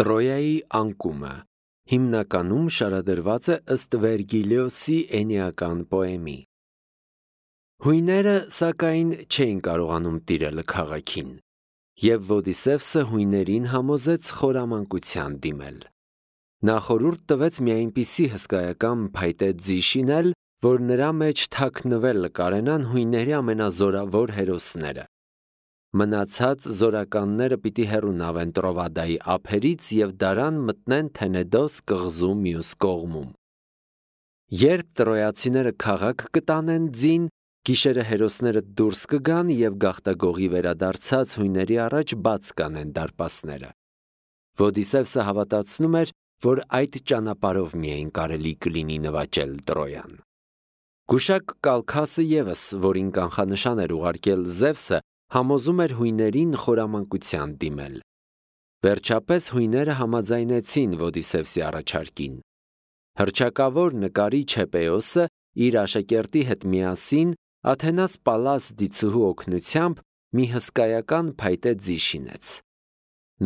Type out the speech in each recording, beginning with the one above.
Տրոյայի անկումը հիմնականում շարադրված է ըստ Վերգիլիոսի էնիական պոեմի։ Հույները, սակայն, չէին կարողանում տիրել քաղաքին, և Ոդիսևսը հույներին համոզեց խորամանկության դիմել։ Նա խորհուրդ տվեց մի այնպիսի հսկայական փայտե ձի շինել, որ նրա մեջ թաքնվել կարենան հույների ամենազորավոր հերոսները։ Մնացած զորականները պիտի հեռունավեն Տրովադայի ափերից և դարան մտնեն Թենեդոս կղզու մյուս կողմում։ Երբ տրոյացիները քաղաք կտանեն ձին, գիշերը հերոսները դուրս կգան և գաղտագողի վերադարձած հույների առաջ բաց կանեն դարպասները։ Ոդիսևսը հավատացնում էր, որ այդ ճանապարհով միայն կարելի կլինի նվաճել Տրոյան։ Գուշակ Կալքասը ևս, որին կանխանշան էր ուղարկել Զևսը, համոզում էր հույներին խորամանկության դիմել։ Վերջապես հույները համաձայնեցին Ոդիսևսի առաջարկին։ Հռչակավոր նկարիչ Հեպեոսը իր աշակերտի հետ միասին Աթենաս Պալլաս դիցուհու օգնությամբ մի հսկայական փայտե ձի շինեց։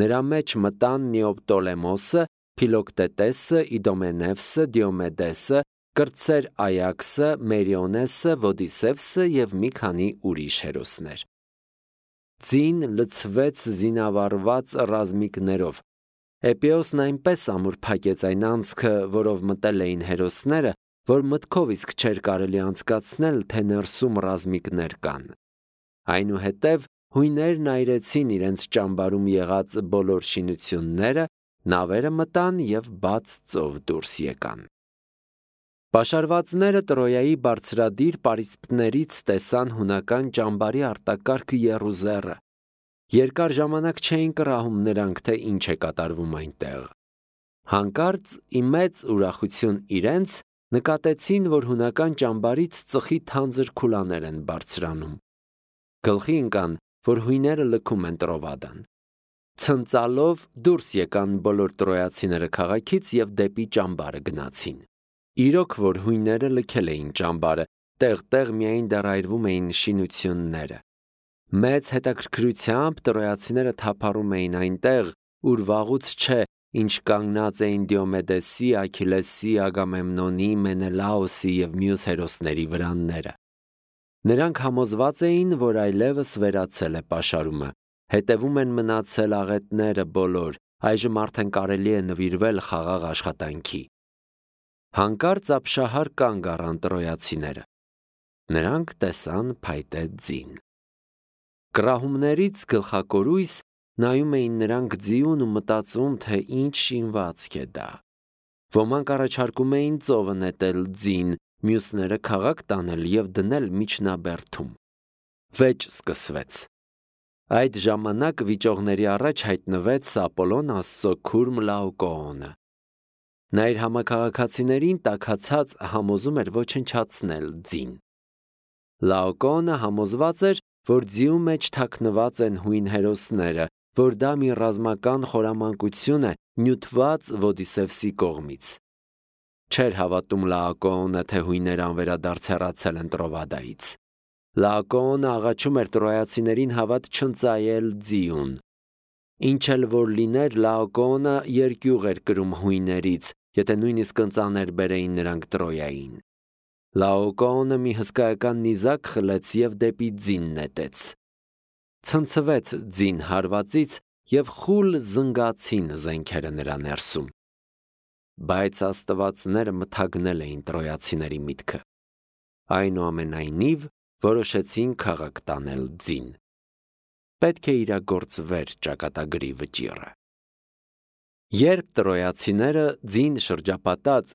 Նրա մեջ մտան Նեոպտոլեմոսը, Փիլոկտետեսը, Իդոմենևսը, Դիոմեդեսը, կրտսեր Այաքսը, Մերիոնեսը, Ոդիսևսը և մի քանի ուրիշ հերոսներ։ Ձին լցվեց զինավառված ռազմիկներով։ Հեպեոսն այնպես ամուր փակեց այն անցքը, որով մտել էին հերոսները, որ մտքով իսկ չէր կարելի անցկացնել, թե ներսում ռազմիկներ կան։ Այնուհետև հույներն այրեցին իրենց ճամբարում եղած բոլոր շինությունները, նավերը մտան և բաց ծով դուրս եկան։ Պաշարվածները Տրոյայի բարձրադիր պարիսպներից տեսան հունական ճամբարի արտակարգ եռուզեռը։ Երկար ժամանակ չէին կռահում նրանք, թե ինչ է կատարվում այնտեղ։ Հանկարծ, ի մեծ ուրախություն իրենց, նկատեցին, որ հունական ճամբարից ծխի թանձր քուլաներ են բարձրանում։ Գլխի ընկան, որ հույները լքում են Տրովադան։ Ցնծալով դուրս եկան բոլոր տրոյացիները քաղաքից և դեպի ճամբարը գնացին։ Իրոք, որ հույները լքել էին ճամբարը, տեղ-տեղ միայն դեռ այրվում էին շինությունները։ Մեծ հետաքրքրությամբ տրոյացիները թափառում էին այնտեղ, ուր վաղուց չէ, ինչ կանգնած էին Դիոմեդեսի, Աքիլեսի, Ագամեմնոնի, Մենելաոսի և մյուս հերոսների վրանները։ Նրանք համոզված էին, որ այլևս վերացել է պաշարումը, հետևում են մնացել աղետները բոլոր, այժմ արդեն կարելի է նվիրվել խաղաղ աշխատանքի։ Հանկարծ ապշահար կանգ առան տրոյացիները։ Նրանք տեսան փայտե ձին։ Կռահումներից գլխակորույս նայում էին նրանք ձիուն ու մտածում, թե ինչ շինվածք է դա։ Ոմանք առաջարկում էին ծովը նետել ձին, մյուսները քաղաք տանել և դնել միջնաբերդում։ Վեճ սկսվեց։ Այդ ժամանակ վիճողների առաջ հայտնվեց Ապոլոն Աստծո քուրմ Լաոկոոնը։ Նա իր համաքաղաքացիներին տաքացած համոզում էր ոչնչացնել ձին։ Լաոկոոնը համոզված էր, որ ձիու մեջ թաքնված են հույն հերոսները, որ դա մի ռազմական խորամանկություն է նյութված Ոդիսևսի կողմից։ Չէր հավատում Լաոկոոնը, թե հույները անվերադարձ հեռացել են Տրովադայից։ Լաոկոոնը աղաչում էր տրոյացիներին հավատ չընծայել ձիուն։ Ինչ էլ որ լիներ, Լաոկոոնը երկյուղ էր կրում հույներից, եթե նույնիսկ ընծաներ բերեին նրանք Տրոյային։ Լաոկոոնը մի հսկայական նիզակ խլեց և դեպի ձին նետեց։ Ցնցվեց ձին հարվածից և խուլ զնգացին զենքերը նրա ներսում։ Բայց աստվածները մթագնել էին տրոյացիների միտքը։ Այնուամենայնիվ, որոշեցին քաղաք տանել ձին։ Պետք է իրագործվեր ճակատագրի վճիռը։ Երբ տրոյացիները ձին շրջապատած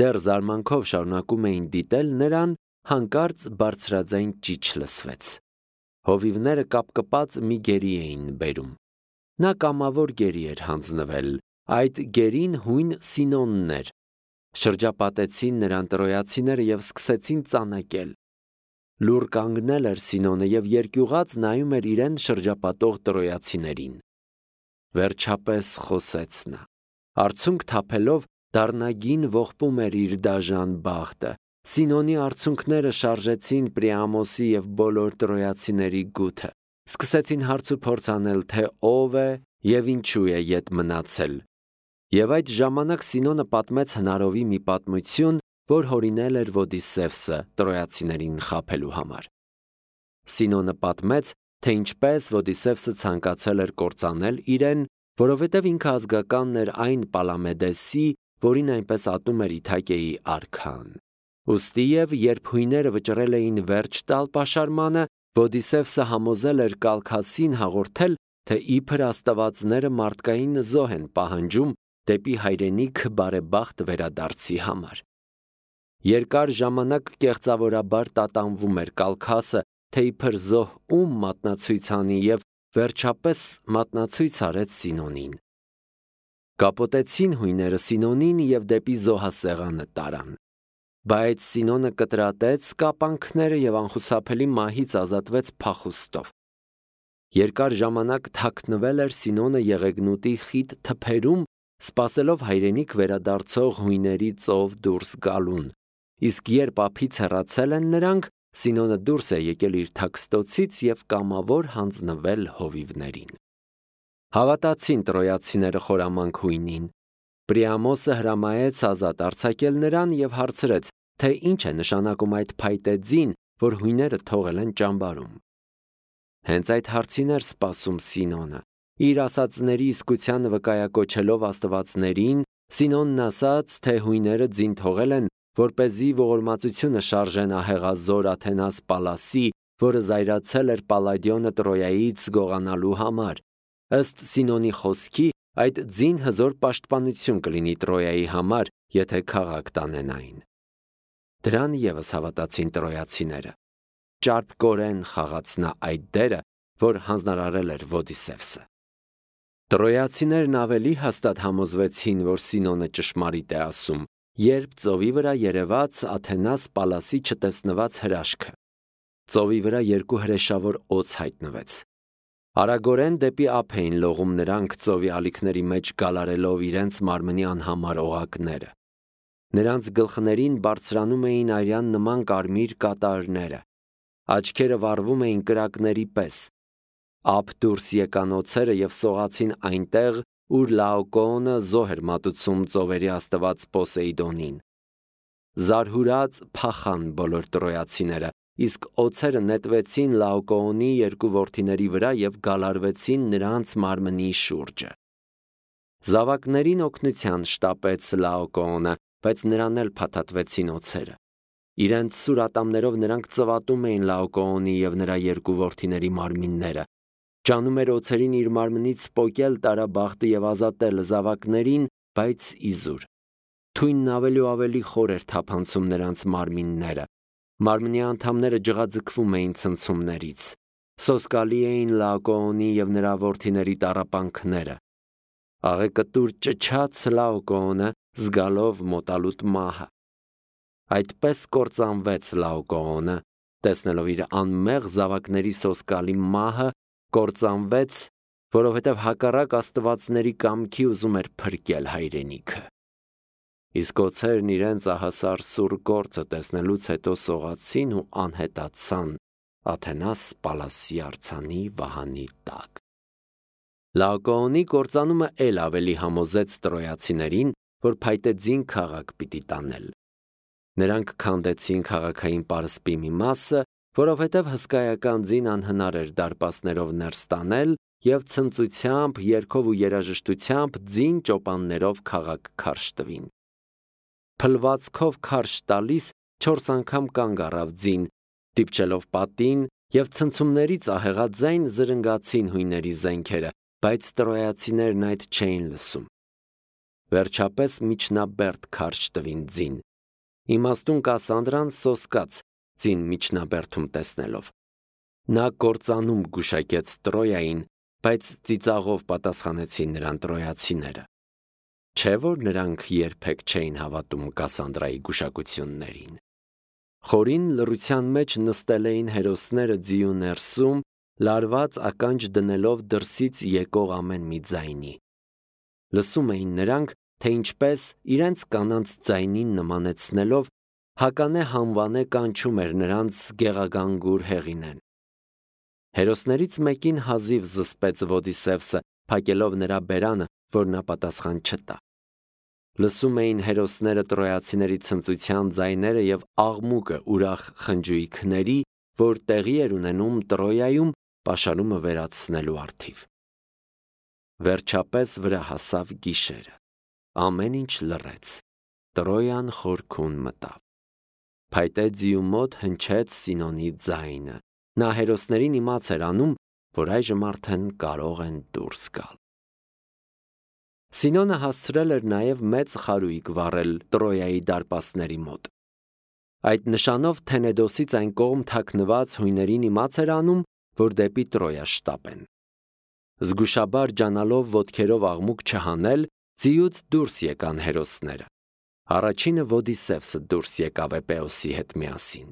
դեռ զարմանքով շարունակում էին դիտել նրան, հանկարծ բարձրաձայն ճիչ լսվեց։ Հովիվները կապկպած մի գերի էին բերում։ Նա կամավոր գերի էր հանձնվել, այդ գերին հույն Սինոնն էր։ Շրջապատեցին նրան տրոյացիները և սկսեցին ծանեկել։ Լուռ կանգնել էր Սինոնը և երկյուղած նայում էր իրեն շրջապատող տրոյացիներին։ Վերջապես խոսեց նա։ Արցունք թափելով դառնագին ողբում էր իր դաժան բախտը։ Սինոնի արցունքները շարժեցին Պրիամոսի և բոլոր տրոյացիների գութը։ Սկսեցին հարց ու փորձ անել, թե ով է և ինչու է ետ մնացել։ Եվ այդ ժամանակ Սինոնը պատմեց հնարովի մի պատմություն, որ հորինել էր Ոդիսևսը տրոյացիներին խաբելու համար։ Սինոնը պատմեց, թե ինչպես Ոդիսևսը ցանկացել էր կործանել իրեն, որովհետև ինքը ազգականն էր այն Պալամեդեսի, որին այնպես ատում էր Իթակեի արքան։ Ուստի և երբ հույները վճռել էին վերջ տալ պաշարմանը, Ոդիսևսը համոզել էր Կալքասին հաղորդել, թե իբր աստվածները մարդկային զոհ են պահանջում դեպի հայրենիք բարեբախտ վերադարձի համար։ Երկար ժամանակ կեղծավորաբար տատանվում էր Կալքասը, թե իբր զոհ ում մատնացույց անի և վերջապես մատնացույց արեց Սինոնին։ Կապոտեցին հույները Սինոնին և դեպի զոհասեղանը տարան։ Բայց Սինոնը կտրատեց կապանքները և անխուսափելի մահից ազատվեց փախուստով։ Երկար ժամանակ թաքնվել էր Սինոնը Եղեգնուտի խիտ թփերում, սպասելով հայրենիք վերադարձող հույների ծով դուրս գալուն, իսկ երբ ափից հեռացել են նրանք, Սինոնը դուրս է եկել իր թաքստոցից և կամավոր հանձնվել հովիվներին։ Հավատացին տրոյացիները խորամանկ հույնին։ Պրիամոսը հրամայեց ազատ արձակել նրան և հարցրեց, թե ինչ է նշանակում այդ փայտե ձին, որ հույները թողել են ճամբարում։ Հենց այդ հարցին էր սպասում Սինոնը։ Իր ասածների իսկությանը վկայակոչելով աստվածներին, Սինոնն ասաց, թե հույները ձին թողել են, որպեսզի ողորմածությունը շարժեն ահեղազոր Աթենաս Պալասի, որը զայրացել էր Պալադիոնը Տրոյայից գողանալու համար։ Ըստ Սինոնի խոսքի, այդ ձին հզոր պաշտպանություն կլինի Տրոյայի համար, եթե քաղաք տանեն այն։ Դրան ևս հավատացին տրոյացիները։ Ճարպկորեն խաղաց նա այդ դերը, որ հանձնարարել էր Ոդիսևսը։ Տրոյացիներն ավելի հաստատ համոզվեցին, որ Սինոնը ճշմարիտ է ասում, երբ ծովի վրա երևաց Աթենաս Պալասի չտեսնված հրաշքը։ Ծովի վրա երկու հրեշավոր օձ հայտնվեց։ Արագորեն դեպի ափ էին լողում նրանք ծովի ալիքների մեջ գալարելով իրենց մարմնի անհամար օղակները։ Նրանց գլխներին բարձրանում էին արյան նման կարմիր կատարները, աչքերը վառվում էին կրակների պես։ Ափ դուրս եկան օձերը և սողացին այնտեղ, ուր Լաոկոոնը զոհ էր մատուցում ծովերի աստված Պոսեյդոնին։ Զարհուրած փախան բոլոր տրոյացիները, իսկ օձերը նետվեցին Լաոկոոնի երկու որդիների վրա և գալարվեցին նրանց մարմնի շուրջը։ Զավակներին օգնության շտապեց Լաոկոոնը, բայց նրան էլ փաթաթվեցին օձերը։ Իրենց սուր ատամներով նրանք ծվատում էին Լաոկոոնի և նրա երկու որդիների մարմինները։ Ջանում էր օձերին իր մարմնից պոկել տարաբախտը և ազատել զավակներին, բայց իզուր։ Թույնն ավելի ու ավելի խոր էր թափանցում նրանց մարմինները։ Մարմնի անդամները ջղաձգվում էին ցնցումներից։ Սոսկալի էին Լաոկոոնի և նրա որդիների տառապանքները։ Աղեկտուր ճչաց Լաոկոոնը, զգալով մոտալուտ մահը։ Այդպես կործանվեց Լաոկոոնը, տեսնելով իր անմեղ զավակների սոսկալի մահը, կործանվեց, որովհետև հակառակ աստվածների կամքի ուզում էր փրկել հայրենիքը։ Իսկ օձերն իրենց ահասար սուր գործը տեսնելուց հետո սողացին ու անհետացան Աթենաս Պալասի արձանի վահանի տակ։ Լաոկոոնի կործանումը էլ ավելի համոզեց տրոյացիներին, որ փայտե ձին քաղաք պիտի տանել։ Նրանք քանդեցին քաղաքային պարսպի մի մասը, որովհետև հսկայական ձին անհնար էր դարպասներով ներս տանել և ցնծությամբ, երգով ու երաժշտությամբ ձին ճոպաններով քաղաք քարշ տվին։ Փլվածքով քարշ տալիս 4 անգամ կանգ առավ ձին, դիպչելով պատին և ցնցումներից ահեղաձայն զրնգացին հույների զենքերը, բայց տրոյացիներն այդ չէին լսում։ Վերջապես միջնաբերդ քարշ տվին ձին։ Իմաստուն Կասանդրան սոսկաց ձին միջնաբերդում տեսնելով։ Նա կործանում գուշակեց Տրոյային, բայց ծիծաղով պատասխանեցին նրան տրոյացիները։ Չէ՞ որ նրանք երբեք չէին հավատում Կասանդրայի գուշակություններին։ Խորին լռության մեջ նստել էին հերոսները ձիու ներսում, լարված ականջ դնելով դրսից եկող ամեն մի ձայնի։ Լսում էին նրանք, թե ինչպես իրենց կանանց ձայնին նմանեցնելով Հականե հանվանե կանչում էր նրանց գեղագանգուր հեղինեն։ Հերոսներից մեկին հազիվ զսպեց Ոդիսևսը, փակելով նրա բերանը, որ նա պատասխան չտա։ Լսում էին հերոսները տրոյացիների ցնծության ձայները եւ աղմուկը ուրախ խնջույքների, որ տեղի էր ունենում Տրոյայում պաշարումը վերացնելու առթիվ։ Վերջապես վրա հասավ գիշերը։ Ամեն ինչ լռեց։ Տրոյան խորքուն մտավ։ Փայտե ձիու մոտ հնչեց Սինոնի ձայնը։ Նա հերոսներին իմաց էր անում, որ այժմ արդեն կարող են դուրս գալ։ Սինոնը հասցրել էր նաև մեծ խարույկ վառել Տրոյայի դարպասների մոտ։ Այդ նշանով Թենեդոսից այն կողմ թաքնված հույներին իմաց էր անում, որ դեպի Տրոյա շտապեն։ Զգուշաբար ջանալով ոտքերով աղմուկ չհանել, ձիուց դուրս եկան հերոսները։ Առաջինը Ոդիսևսը դուրս եկավ Էպեոսի հետ միասին։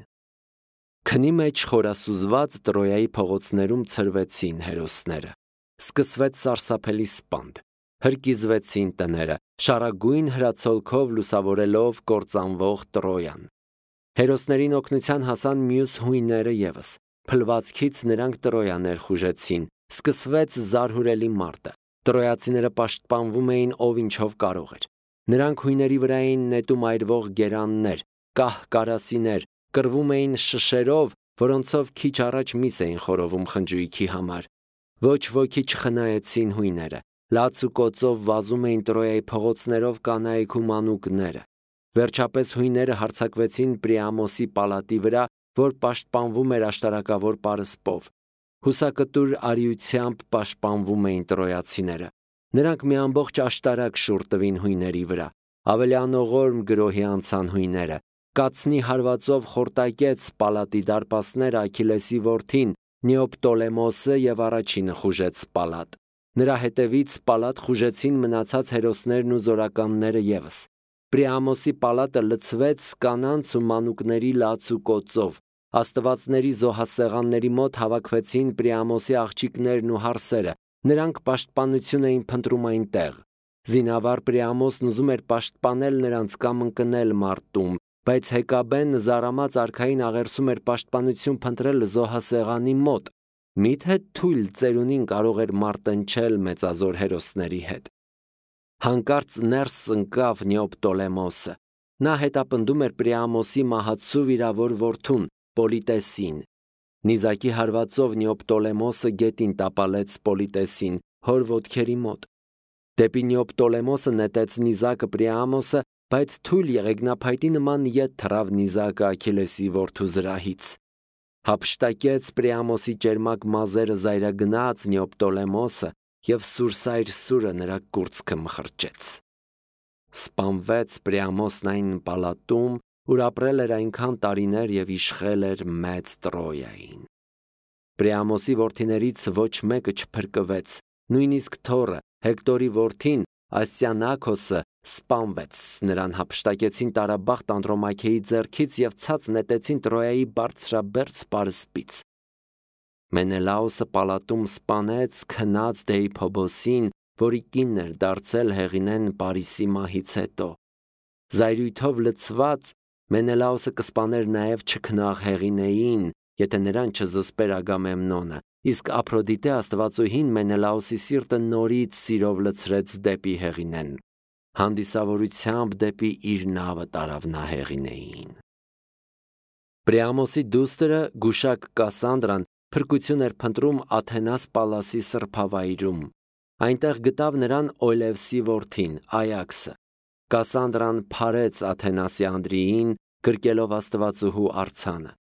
Քնի մեջ խորասուզված Տրոյայի փողոցներում ցրվեցին հերոսները։ Սկսվեց սարսափելի սպանդ։ Հրկիզվեցին տները, շարագույն հրացոլքով լուսավորելով կործանվող Տրոյան։ Հերոսներին օգնության հասան մյուս հույները ևս։ Փլվածքից նրանք Տրոյա ներխուժեցին։ Սկսվեց զարհուրելի մարտը։ Տրոյացիները պաշտպանվում էին ով ինչով կարող էր։ Նրանք հույների վրա էին նետում այրվող գերաններ, կահ կարասիներ, կռվում էին շշերով, որոնցով քիչ առաջ միս էին խորովում խնջույքի համար։ Ոչ ոքի չխնայեցին հույները։ Լաց ու կոծով վազում էին Տրոյայի փողոցներով կանայք ու մանուկները։ Վերջապես հույները հարձակվեցին Պրիամոսի պալատի վրա, որ պաշտպանվում էր աշտարակավոր պարսպով։ Հուսակտուր արիությամբ պաշտպանվում էին տրոյացիները։ Նրանք մի ամբողջ աշտարակ շուռ տվին հույների վրա։ Ավելի անողորմ գրոհի անցան հույները։ Կացնի հարվածով խորտակեց պալատի դարպասները Աքիլեսի որդին Նեոպտոլեմոսը եւ առաջինը խուժեց պալատ։ Նրա հետևից պալատ խուժեցին մնացած հերոսներն ու զորականները ևս։ Պրիամոսի պալատը լցվեց կանանց ու մանուկների լաց ու կոծով։ Աստվածների զոհասեղանների մոտ հավաքվեցին Պրիամոսի աղջիկներն ու հարսերը։ Նրանք պաշտպանություն էին փնտրում այնտեղ։ Զինավար Պրիամոսն ուզում էր պաշտպանել նրանց կամ ընկնել մարտում, բայց Հեկաբեն զարամած արքային աղերսում էր պաշտպանություն փնտրել զոհասեղանի մոտ։ Միթե թույլ ծերունին կարող էր մարտնչել մեծազոր հերոսների հետ։ Հանկարծ ներս ընկավ Նեոպտոլեմոսը։ Նա հետապնդում էր Պրիամոսի մահացու վիրավոր որդուն Պոլիտեսին։ Նիզակի հարվածով Նեոպտոլեմոսը գետին տապալեց Պոլիտեսին հոր ոտքերի մոտ։ Դեպի Նեոպտոլեմոսը նետեց նիզակը Պրիամոսը, բայց թույլ եղեգնափայտի նման ետ թռավ նիզակը Աքիլեսի որդու զրահից։ Հափշտակեց Պրիամոսի ճերմակ մազերը զայրագնաց Նեոպտոլեմոսը և սուրսայր սուրը նրա կուրծքը մխրճեց։ Սպանվեց Պրիամոսն այն պալատում, ուր ապրել էր այնքան տարիներ և իշխել էր մեծ Տրոյային։ Պրիամոսի որդիներից ոչ մեկը չփրկվեց, նույնիսկ թոռը Հեկտորի որդին Աստիանակոսը սպանվեց, նրան հափշտակեցին տարաբախտ Անդրոմաքեի ձեռքից և ցած նետեցին Տրոյայի բարձրաբերձ պարսպից։ Մենելաոսը պալատում սպանեց քնած Դեիփոբոսին, որի կինն էր դարձել Հեղինեն Պարիսի մահից հետո։ Զայրույթով լցված Մենելաոսը կսպաներ նաև չքնաղ Հեղինեին, եթե նրան չզսպեր Ագամեմնոնը, իսկ Ափրոդիտե աստվածուհին Մենելաոսի սիրտը նորից սիրով լցրեց դեպի Հեղինեն։ Հանդիսավորությամբ դեպի իր նավը տարավ նա Հեղինեին։ Պրիամոսի դուստրը գուշակ Կասանդրան փրկություն էր փնտրում Աթենաս Պալասի սրբավայրում։ Այնտեղ գտավ նրան Օյլևսի որդին Այաքսը։ Կասանդրան փարեց Աթենասի Անդրիին, գրկելով աստվածուհու արձանը։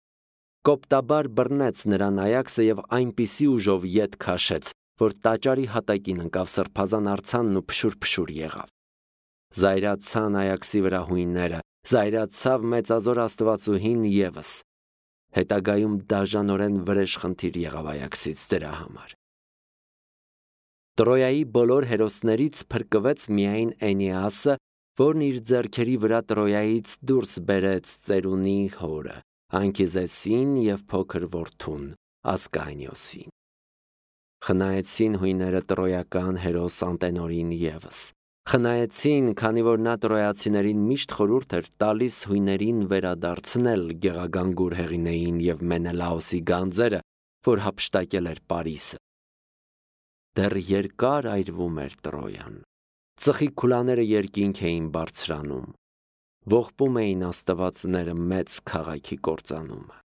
Կոպտաբար բռնեց նրան Այաքսը և այնպիսի ուժով ետ քաշեց, որ տաճարի հատակին ընկավ սրբազան արձանն ու փշուր եղավ։ Զայրացան Այաքսի վրա հույները, զայրացավ մեծազոր աստվածուհին ևս։ Հետագայում դաժանորեն վրեժխնդիր եղավ Այաքսից դրա համար։ Տրոյայի բոլոր հերոսներից փրկվեց միայն Էնեասը, որն իր ձեռքերի վրա Տրոյայից դուրս բերեց ծերունի հորը, Անքիզեսին և փոքր որդուն Ասկանիոսին։ Խնայեցին հույները տրոյական հերոս Անտենորին ևս։ Խնայեցին, քանի որ նա տրոյացիներին միշտ խորհուրդ էր տալիս հույներին վերադարձնել գեղագանգուր Հեղինեին և Մենելաոսի գանձերը, որ հափշտակել էր Պարիսը։ Դեռ երկար այրվում էր Տրոյան։ Ծխի քուլաները երկինք էին բարձրանում, ողբում էին աստվածները մեծ քաղաքի կործանումը։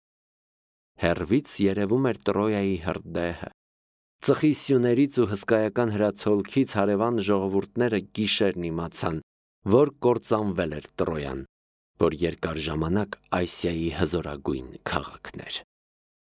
Հեռվից երևում էր Տրոյայի հրդեհը։ Ծխի սյուներից ու հսկայական հրացոլքից հարևան ժողովուրդները գիշերն իմացան, որ կործանվել էր Տրոյան, որ երկար ժամանակ Ասիայի հզորագույն քաղաքն էր։